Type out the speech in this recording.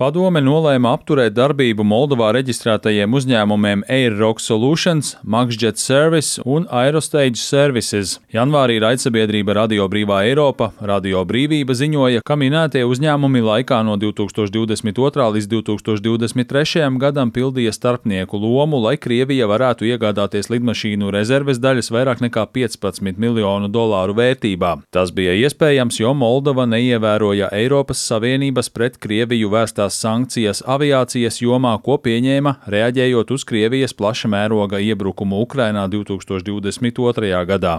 Padome nolēma apturēt darbību Moldovā reģistrētajiem uzņēmumiem Air Rock Solutions, Maxjet Service un Aerostage Services. Janvārī raidsabiedrība Radio Brīvā Eiropa, Radio Brīvība ziņoja, ka minētie uzņēmumi laikā no 2022. līdz 2023. gadam pildīja starpnieku lomu, lai Krievija varētu iegādāties lidmašīnu rezerves daļas vairāk nekā $15 miljonu vērtībā. Tas bija iespējams, jo Moldova neievēroja Eiropas Savienības pret Krieviju vērstās sankcijas aviācijas jomā, ko pieņēma, reaģējot uz Krievijas plaša mēroga iebrukumu Ukrainā 2022. gadā.